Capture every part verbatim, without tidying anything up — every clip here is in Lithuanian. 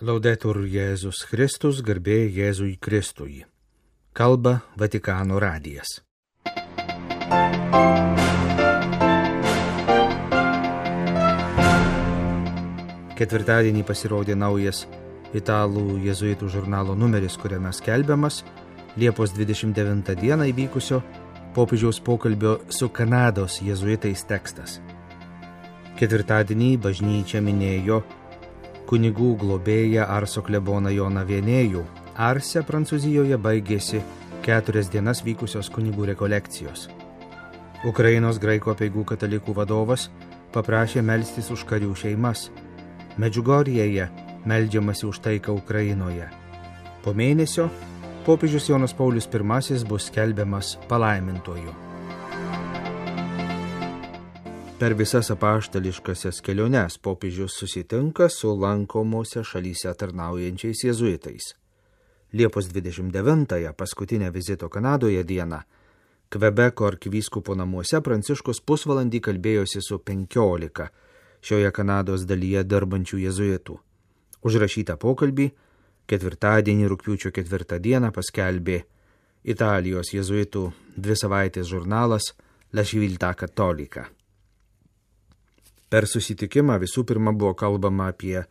Laudetur Jėzus Kristus, garbė Jėzui Kristui. Kalba Vatikano radijas. Ketvirtadienį pasirodė naujas italų jėzuitų žurnalo numeris, kuriame skelbiamas Liepos dvidešimt devintą dieną įvykusio popiežiaus pokalbio su Kanados jėzuitais tekstas. Ketvirtadienį bažnyčia minėjo kunigų globėją Arso kleboną Joną Vienėjų. Arse, Prancūzijoje, baigėsi keturias dienas vykusios kunigų rekolekcijos. Ukrainos graikų apeigų katalikų vadovas paprašė melstis už karių šeimas. Medžiugorjėje meldžiamasi už taiką Ukrainoje. Po mėnesio popiežius Jonas Paulius pirmasis bus skelbiamas palaimintuoju. Per visas apaštališkasias keliones popiežius susitinka su lankomose šalyse tarnaujančiais jėzuitais. Liepos dvidešimt devintąją, paskutinę vizito Kanadoje dieną, Kvebeko arkivyskupo namuose Pranciškus pusvalandį kalbėjosi su penkiolika šioje Kanados dalyje dirbančių jėzuitų. Užrašytą pokalbį ketvirtadienį rugpjūčio ketvirtą dieną paskelbė Italijos jėzuitų dvi savaitės žurnalas La Civiltà Cattolica. Per susitikimą visų pirma buvo kalbama apie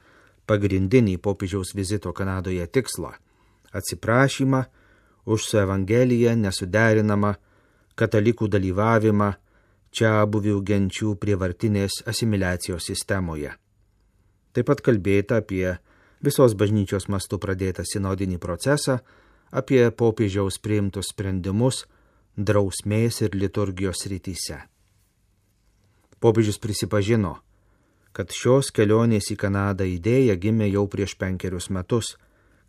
pagrindinį popiežiaus vizito Kanadoje tikslą – atsiprašymą už su Evangelija nesuderinamą katalikų dalyvavimą čiabuvių genčių prievartinės asimiliacijos sistemoje. Taip pat kalbėta apie visos bažnyčios mastu pradėtą sinodinį procesą, apie popiežiaus priimtus sprendimus drausmės ir liturgijos srityse. Popiežius prisipažino, kad šios kelionės į Kanadą idėja gimė jau prieš penkerius metus,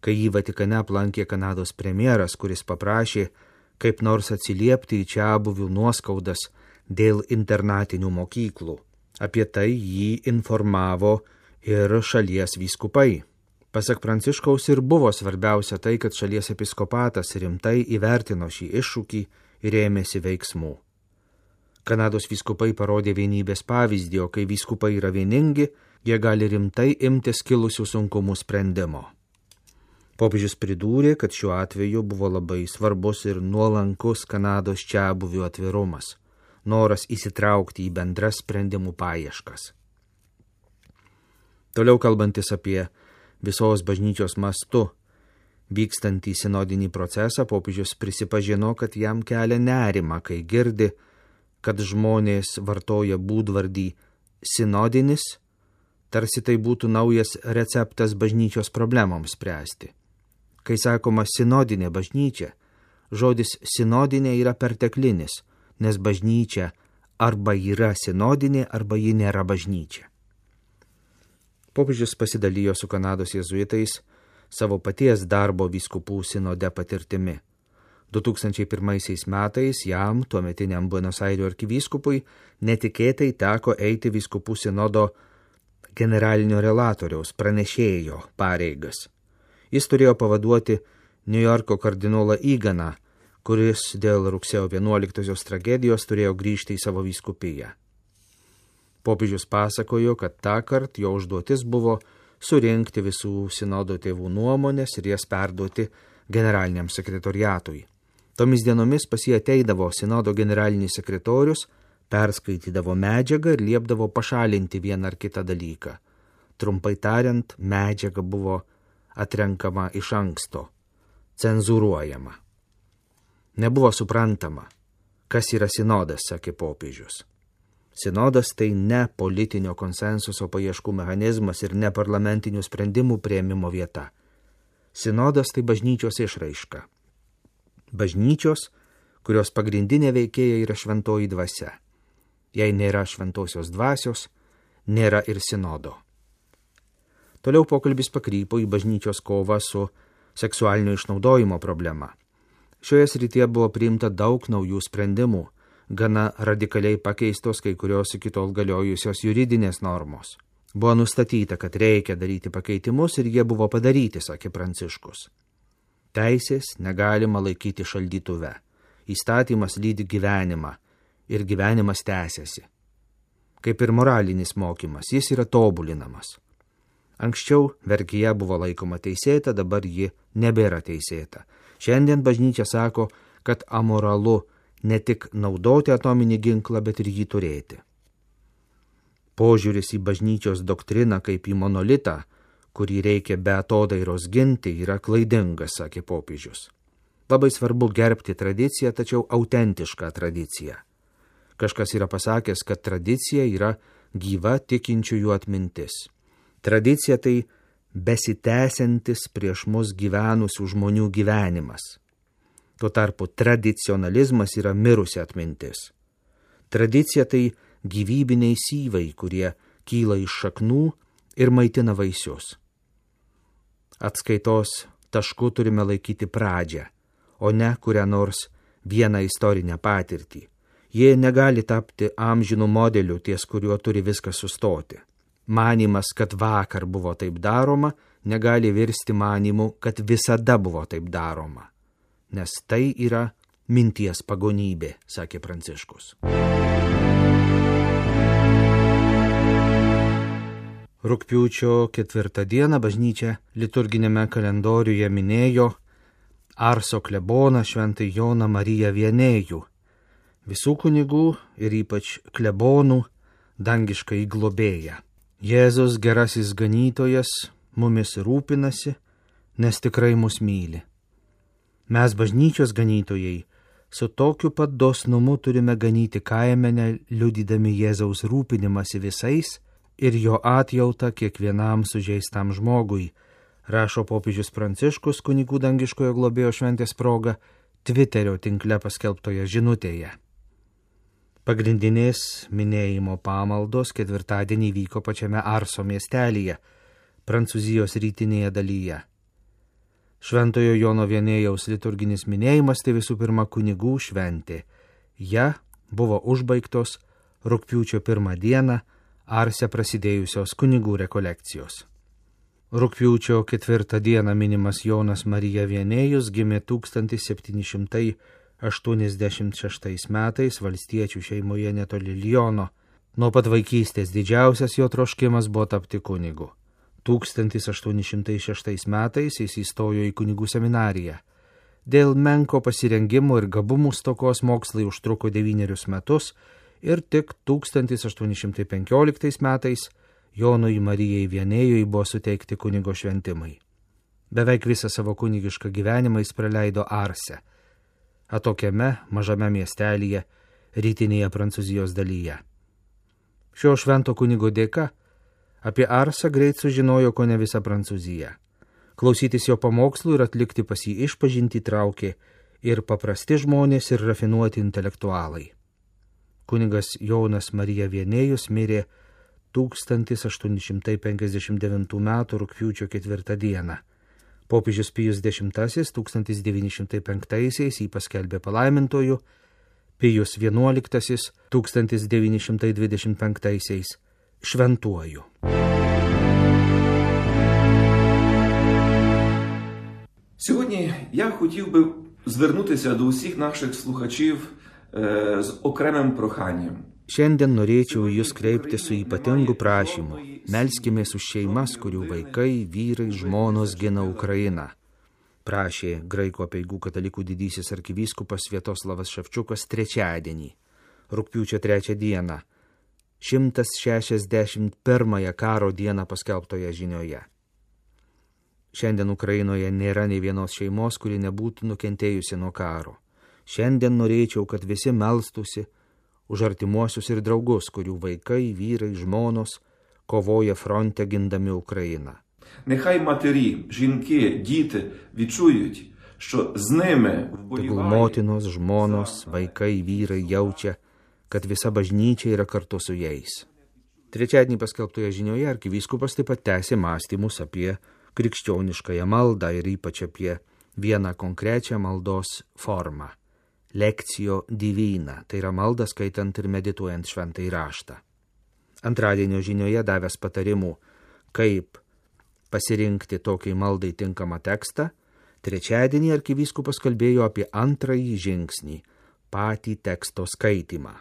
kai jį Vatikane aplankė Kanados premjeras, kuris paprašė kaip nors atsiliepti į čiabuvių nuoskaudas dėl internatinių mokyklų. Apie tai jį informavo ir šalies vyskupai. Pasak Pranciškaus ir buvo svarbiausia tai, kad šalies episkopatas rimtai įvertino šį iššūkį ir ėmėsi veiksmų. Kanados vyskupai parodė vienybės pavyzdį, o kai vyskupai yra vieningi, jie gali rimtai imtis kilusių sunkumų sprendimo. Popiežius pridūrė, kad šiuo atveju buvo labai svarbus ir nuolankus Kanados čiabuvių atvirumas, noras įsitraukti į bendras sprendimų paieškas. Toliau kalbantis apie visos bažnyčios mastu vykstantį sinodinį procesą, popiežius prisipažino, kad jam kelia nerimą, kai girdi, kad žmonės vartoja būdvardį sinodinis, tarsi tai būtų naujas receptas bažnyčios problemoms spręsti. Kai sakoma sinodinė bažnyčia, žodis sinodinė yra perteklinis, nes bažnyčia arba yra sinodinė, arba ji nėra bažnyčia. Popiežius pasidalijo su Kanados jėzuitais savo paties darbo vyskupų sinode patirtimi. du tūkstančiai pirmaisiais metais jam, tuometiniam Buenos Airių arkivyskupui, netikėtai teko eiti vyskupų sinodo generalinio relatoriaus pranešėjo pareigas. Jis turėjo pavaduoti Niujorko kardinolą Eganą, kuris dėl rugsėjo vienuoliktosios tragedijos turėjo grįžti į savo vyskupiją. Popiežius pasakojo, kad tąkart jo užduotis buvo surinkti visų sinodo tėvų nuomonės ir jas perduoti generaliniam sekretoriatui. Tomis dienomis pas jį ateidavo sinodo generalinis sekretorius, perskaitydavo medžiagą ir liepdavo pašalinti vieną ar kitą dalyką. Trumpai tariant, medžiaga buvo atrenkama iš anksto, cenzūruojama. Nebuvo suprantama, kas yra sinodas, sakė popiežius. Sinodas tai ne politinio konsensuso paieškų mechanizmas ir ne parlamentinių sprendimų priėmimo vieta. Sinodas tai bažnyčios išraiška. Bažnyčios, kurios pagrindinė veikėja yra šventoji dvasia. Jei nėra šventosios dvasios, nėra ir sinodo. Toliau pokalbis pakrypo į bažnyčios kovą su seksualinio išnaudojimo problema. Šioje srityje buvo priimta daug naujų sprendimų, gana radikaliai pakeistos kai kurios iki tol galiojusios juridinės normos. Buvo nustatyta, kad reikia daryti pakeitimus ir jie buvo padaryti, sakė Pranciškus. Teisės negalima laikyti šaldytuve. Įstatymas lydi gyvenimą ir gyvenimas tęsiasi. Kaip ir moralinis mokymas, jis yra tobulinamas. Anksčiau vergija buvo laikoma teisėta, dabar ji nebėra teisėta. Šiandien bažnyčia sako, kad amoralu ne tik naudoti atominį ginklą, bet ir jį turėti. Požiūris į bažnyčios doktriną kaip į monolitą, kurį reikia be atodairos ginti, yra klaidingas, sakė popiežius. Labai svarbu gerbti tradiciją, tačiau autentišką tradiciją. Kažkas yra pasakęs, kad tradicija yra gyva tikinčiųjų atmintis. Tradicija tai besitęsiantis prieš mus gyvenusių žmonių gyvenimas. Tuo tarpu tradicionalizmas yra mirusi atmintis. Tradicija tai gyvybiniai syvai, kurie kyla iš šaknų ir maitina vaisius. Atskaitos tašku turime laikyti pradžią, o ne kurią nors vieną istorinę patirtį. Jie negali tapti amžinų modelių, ties kuriuo turi viskas sustoti. Manimas, kad vakar buvo taip daroma, negali virsti manimu, kad visada buvo taip daroma. Nes tai yra minties pagonybė, sakė Pranciškus. Rugpjūčio ketvirtą dieną bažnyčia liturginėme kalendoriuje minėjo Arso kleboną šventąjį Joną Mariją Vienėjų, visų kunigų ir ypač klebonų dangiškąjį globėją. Jėzus gerasis ganytojas mumis rūpinasi, nes tikrai mus myli. Mes bažnyčios ganytojai su tokiu pat dosnumu turime ganyti kaimenę, liudydami Jėzaus rūpinimąsi visais ir jo atjautą kiekvienam sužeistam žmogui, rašo popiežius Pranciškus kunigų dangiškojo globėjo šventės proga Twitterio tinkle paskelbtoje žinutėje. Pagrindinės minėjimo pamaldos ketvirtadienį vyko pačiame Arso miestelyje, Prancūzijos rytinėje dalyje. Šventojo Jono Vienėjaus liturginis minėjimas tai visų pirma kunigų šventė. Ja buvo užbaigtos rugpjūčio pirmą dieną Arse prasidėjusios kunigų rekolekcijos. Rugpjūčio ketvirtą dieną minimas Jonas Marija Vienėjus gimė tūkstantis septyni šimtai aštuoniasdešimt šeštais metais valstiečių šeimoje netoli Liono. Nuo pat vaikystės didžiausias jo troškimas buvo tapti kunigu. tūkstantis aštuoni šimtai šeštais metais jis įstojo į kunigų seminariją. Dėl menko pasirengimo ir gabumų stokos mokslai užtruko devynerius metus ir tik tūkstantis aštuoni šimtai penkioliktais metais Jonui Marijai Vienėjui buvo suteikti kunigo šventimai. Beveik visą savo kunigišką gyvenimą jis praleido Arse, atokiame mažame miestelyje rytinėje Prancūzijos dalyje. Šio švento kunigo dėka apie Arsą greit sužinojo kone visa Prancūzija. Klausytis jo pamokslų ir atlikti pas jį išpažintį traukė ir paprasti žmonės, ir rafinuoti intelektualai. Kunigas Jonas Marija Vienėjus mirė tūkstantis aštuoni šimtai penkiasdešimt devintų metų rugpjūčio ketvirtą dieną. Popiežius Pijus dešimtasis tūkstantis devyni šimtai penktaisiais jį paskelbė palaimintoju, Pijus vienuoliktasis tūkstantis devyni šimtai dvidešimt penktaisiais šventuoju. Сьогодні я хотів би звернутися до усіх наших слухачів е, з окремим проханням. Šiandien norėčiau jūs kreipti su ypatingu prašymu. Melskimės už šeimas, kurių vaikai, vyrai, žmonos gina Ukrainą. Prašė graikų apeigų katalikų didysis arkivyskupas Sviatoslavas Ševčiukas trečiadienį, rugpjūčio trečią dieną, šimtas šešiasdešimt pirmąją karo dieną paskelbtoje žinioje. Šiandien Ukrainoje nėra nei vienos šeimos, kuri nebūtų nukentėjusi nuo karo. Šiandien norėčiau, kad visi melstųsi už artimuosius ir draugus, kurių vaikai, vyrai, žmonos kovoja fronte gindami Україну. Нехай матері, жінки, діти відчують, що з ними Tegul motinos, žmonos, vaikai, vyrai jaučia, kad visa bažnyčia yra kartu su jais. Trečiadienį paskelbtoje žinioje arkivyskupas taip pat tęsė mąstymus apie krikščioniškąją maldą ir ypač apie vieną konkrečią maldos formą. Lekcijo divina, tai yra malda skaitant ir medituojant šventąjį raštą. Antradienio žinioje davęs patarimų, kaip pasirinkti tokiai maldai tinkamą tekstą, trečiadienį arkivyskupas kalbėjo apie antrąjį žingsnį, patį teksto skaitymą.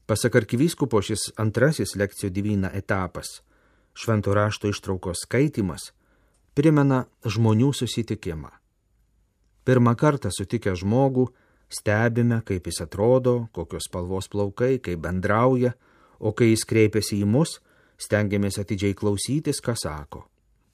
Pasak arkivyskupo, šis antrasis lekcijo divina etapas Švento rašto ištraukos skaitimas primena žmonių susitikimą. Pirmą kartą sutikę žmogų stebime, kaip jis atrodo, kokios spalvos plaukai, kaip bendrauja, o kai jis kreipiasi į mus, stengiamės atidžiai klausytis, ką sako.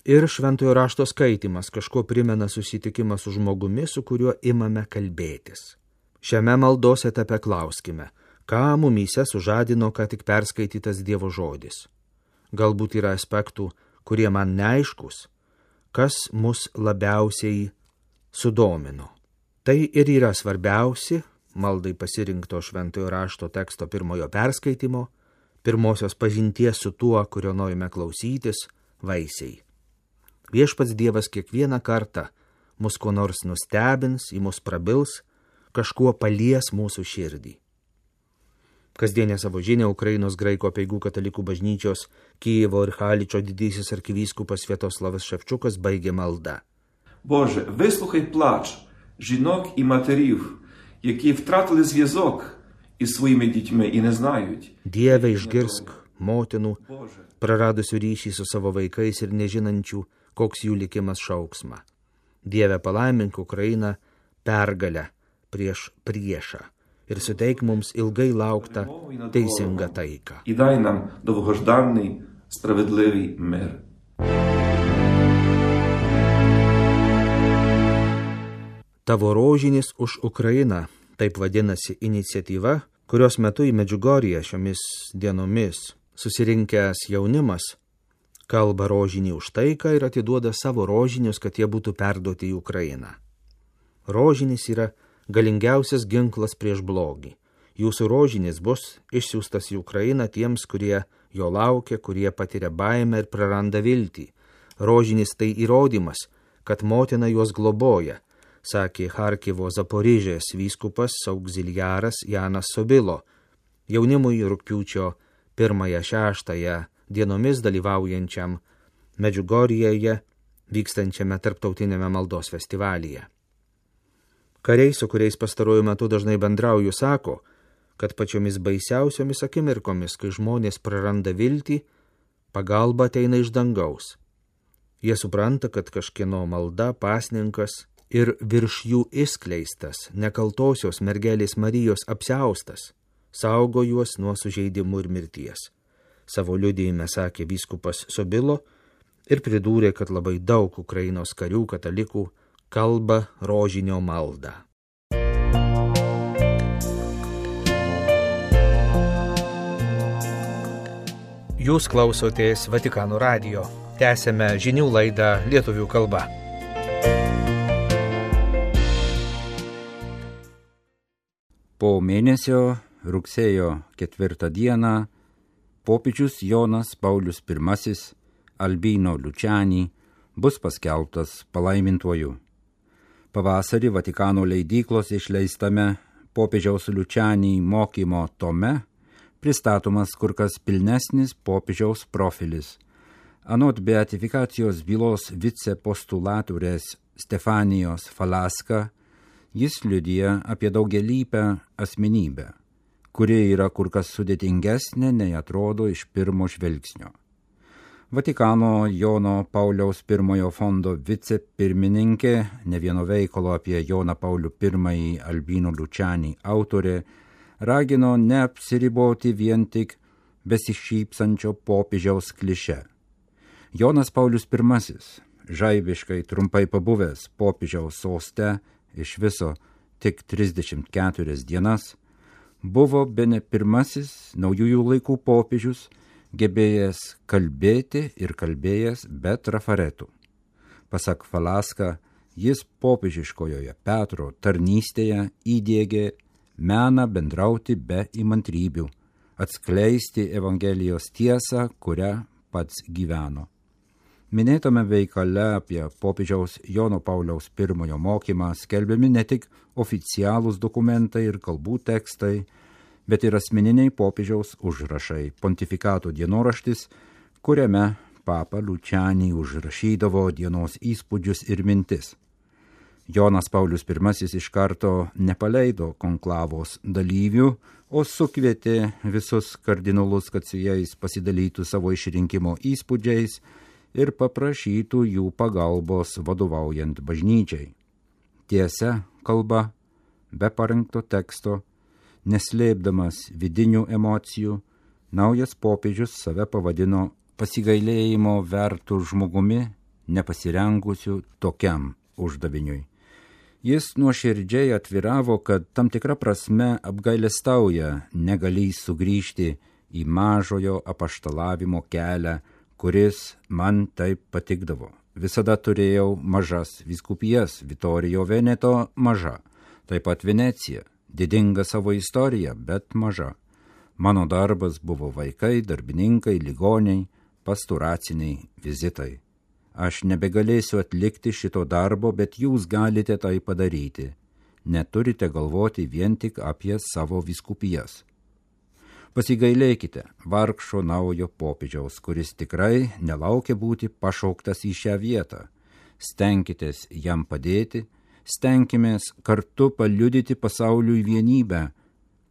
Ir šventojo rašto skaitimas kažko primena susitikimą su žmogumi, su kuriuo imame kalbėtis. Šiame maldos etape klauskime, ką mumyse sužadino ką tik perskaitytas Dievo žodis. Galbūt yra aspektų, kurie man neaiškus, kas mus labiausiai sudomino. Tai ir yra svarbiausi maldai pasirinkto šventojo rašto teksto pirmojo perskaitimo, pirmosios pažinties su tuo, kurio norime klausytis, vaisiai. Viešpats Dievas kiekvieną kartą mus kuo nors nustebins, į mus prabils, kažkuo palies mūsų širdį. Kasdienę savo žinią Ukrainos graikų apeigų katalikų bažnyčios Kijevo ir Haličo didysis arkivyskupas Sviatoslavas Шевчуkas baigė maldą. Боже, вислухай плач жінок і матерів, які втратили зв'язок із своїми дітьми і не знають. Dieve, išgirsk motinų, praradusių ryšį su savo vaikais ir nežinančių, koks jų likimas šauksma. Dieve, palaimink Ukrainą pergalę prieš priešą ir suteik mums ilgai lauktą teisingą taiką. І дай нам довгожданий, справедливий мир. Tavo rožinis už Ukrainą, taip vadinasi iniciatyva, kurios metu į Medžiugorję šiomis dienomis susirinkęs jaunimas kalba rožinį už taiką ir atiduoda savo rožinius, kad jie būtų perduoti į Ukrainą. Rožinis yra galingiausias ginklas prieš blogį. Jūsų rožinis bus išsiųstas į Ukrainą tiems, kurie jo laukia, kurie patiria baimę ir praranda viltį. Rožinis tai įrodymas, kad motina juos globoja, sakė Charkivo Zaporižės vyskupas auxiliaras Janas Sobilo, jaunimui rugpjūčio pirmąją šeštąją dienomis dalyvaujančiam Medžiugorjėje vykstančiame tarptautinėme maldos festivalyje. Kariai, su kuriais pastaruoju metu dažnai bendrauju, sako, kad pačiomis baisiausiomis akimirkomis, kai žmonės praranda viltį, pagalba ateina iš dangaus. Jie supranta, kad kažkieno malda, pasninkas ir virš jų išskleistas nekaltosios mergelės Marijos apsiaustas saugo juos nuo sužeidimų ir mirties. Savo liudijime sakė vyskupas Sobilo ir pridūrė, kad labai daug Ukrainos karių katalikų kalba rožinio maldą. Jūs klausotės Vatikano radijo. Tęsėme žinių laidą lietuvių kalba. Po mėnesio rugsėjo ketvirtą dieną popiežius Jonas Paulius pirmasis Albino Luciani bus paskelbtas palaimintuoju. Pavasarį Vatikano leidyklos išleistame popiežiaus Luciani mokymo tome pristatomas kur kas pilnesnis popiežiaus profilis. Anot beatifikacijos bylos vicepostulatorės Stefanijos Falaska, jis liudija apie daugialypę asmenybę, kuri yra kur kas sudėtingesnė, nei atrodo iš pirmo žvilgsnio. Vatikano Jono Pauliaus pirmojo fondo vicepirmininkė, ne vieno veikalo apie Joną Paulių pirmąjį Albino Luciani autorė, ragino neapsiriboti vien tik besišypsančio popiežiaus kliše. Jonas Paulius pirmasis, žaibiškai trumpai pabuvęs popiežiaus soste iš viso tik trisdešimt keturias dienas, buvo bene pirmasis naujųjų laikų popiežius, gebėjęs kalbėti ir kalbėjęs be trafaretų. Pasak Falaska, jis popiežiškojoje Petro tarnystėje įdiegė meną bendrauti be įmantrybių, atskleisti Evangelijos tiesą, kurią pats gyveno. Minėtame veikale apie popiežiaus Jono Pauliaus pirmojo mokymą skelbiami ne tik oficialūs dokumentai ir kalbų tekstai, bet ir asmeniniai popiežiaus užrašai, pontifikato dienoraštis, kuriame papa Luciani užrašydavo dienos įspūdžius ir mintis. Jonas Paulius pirmasis iš karto nepaleido konklavos dalyvių, o sukvietė visus kardinolus, kad su jais pasidalytų savo išrinkimo įspūdžiais ir paprašytų jų pagalbos vadovaujant bažnyčiai. Tiesa kalba, be parengto teksto, neslėpdamas vidinių emocijų, naujas popiežius save pavadino pasigailėjimo vertų žmogumi, nepasirengusiu tokiam uždaviniui. Jis nuoširdžiai atviravo, kad tam tikra prasme apgailestauja negalįs sugrįžti į mažojo apaštalavimo kelią, kuris man taip patikdavo. Visada turėjau mažas vyskupijas, Vitorijo Veneto maža, taip pat Venecija, didinga savo istorija, bet maža. Mano darbas buvo vaikai, darbininkai, ligoniai, pastoraciniai vizitai. Aš nebegalėsiu atlikti šito darbo, bet jūs galite tai padaryti. Neturite galvoti vien tik apie savo vyskupijas. Pasigailėkite vargšo naujo popiežiaus, kuris tikrai nelaukia būti pašauktas į šią vietą. Stenkitės jam padėti, stenkimės kartu paliudyti pasauliui vienybę,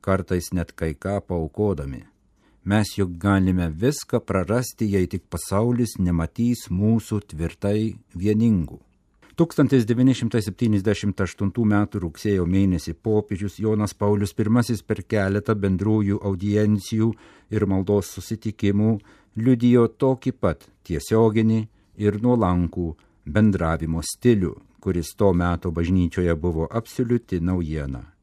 kartais net kai ką paaukodami. Mes juk galime viską prarasti, jei tik pasaulis nematys mūsų tvirtai vieningų. tūkstantis devyni šimtai septyniasdešimt aštuntų metų rugsėjo mėnesį popiežius Jonas Paulius pirmasis per keletą bendrųjų audiencijų ir maldos susitikimų liudijo tokį pat tiesioginį ir nuolankų bendravimo stilių, kuris to meto bažnyčioje buvo absoliuti naujiena.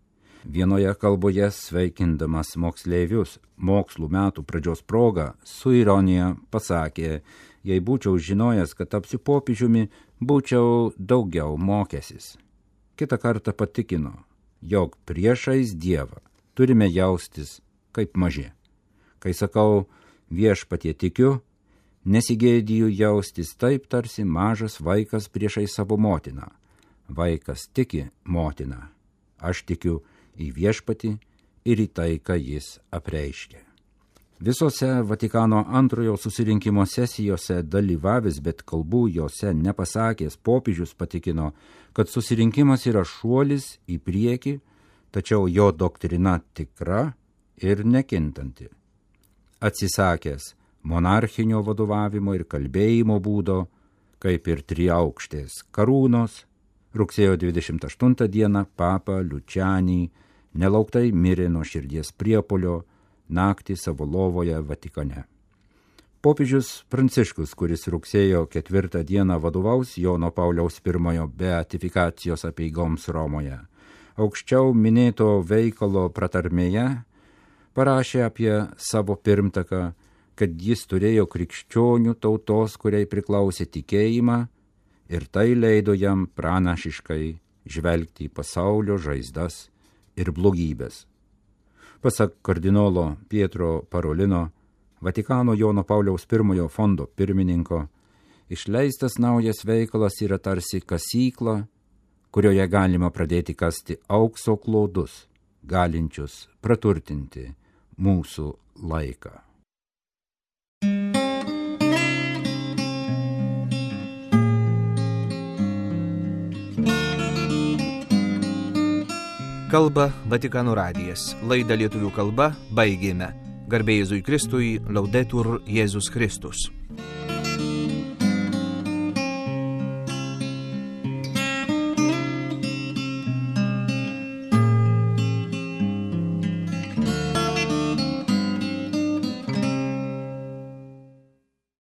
Vienoje kalboje sveikindamas moksleivius mokslų metų pradžios proga su ironija pasakė, jei būčiau žinojęs, kad tapsiu popiežiumi, būčiau daugiau mokęsis. Kitą kartą patikino, jog priešais Dievą turime jaustis kaip maži. Kai sakau viešpatie tikiu, nesigėdiju jaustis taip, tarsi mažas vaikas priešais savo motiną. Vaikas tiki motiną. Aš tikiu į viešpatį ir į tai, ką jis apreiškė. Visose Vatikano antrojo susirinkimo sesijose dalyvavęs, bet kalbų jose nepasakęs, popiežius patikino, kad susirinkimas yra šuolis į priekį, tačiau jo doktrina tikra ir nekintanti. Atsisakęs monarchinio vadovavimo ir kalbėjimo būdo, kaip ir triaukštės karūnos, rugsėjo dvidešimt aštuntą dieną papa Lučianį nelauktai mirė nuo širdies priepuolio naktį savo lovoje Vatikane. Popiežius Pranciškus, kuris rugsėjo ketvirtą dieną vadovaus Jono Pauliaus pirmojo beatifikacijos apeigoms Romoje, aukščiau minėto veikalo pratarmėje parašė apie savo pirmtaką, kad jis turėjo krikščionių tautos, kuriai priklausė tikėjimą, ir tai leido jam pranašiškai žvelgti į pasaulio žaizdas ir blogybės. Pasak kardinolo Pietro Parolino, Vatikano Jono Pauliaus pirmojo fondo pirmininko, išleistas naujas veikalas yra tarsi kasykla, kurioje galima pradėti kasti aukso klodus, galinčius praturtinti mūsų laiką. Kalba Vatikano radijas. Laidą lietuvių kalba baigėme. Garbė Jėzui Kristui, Laudetur Jėzus Kristus.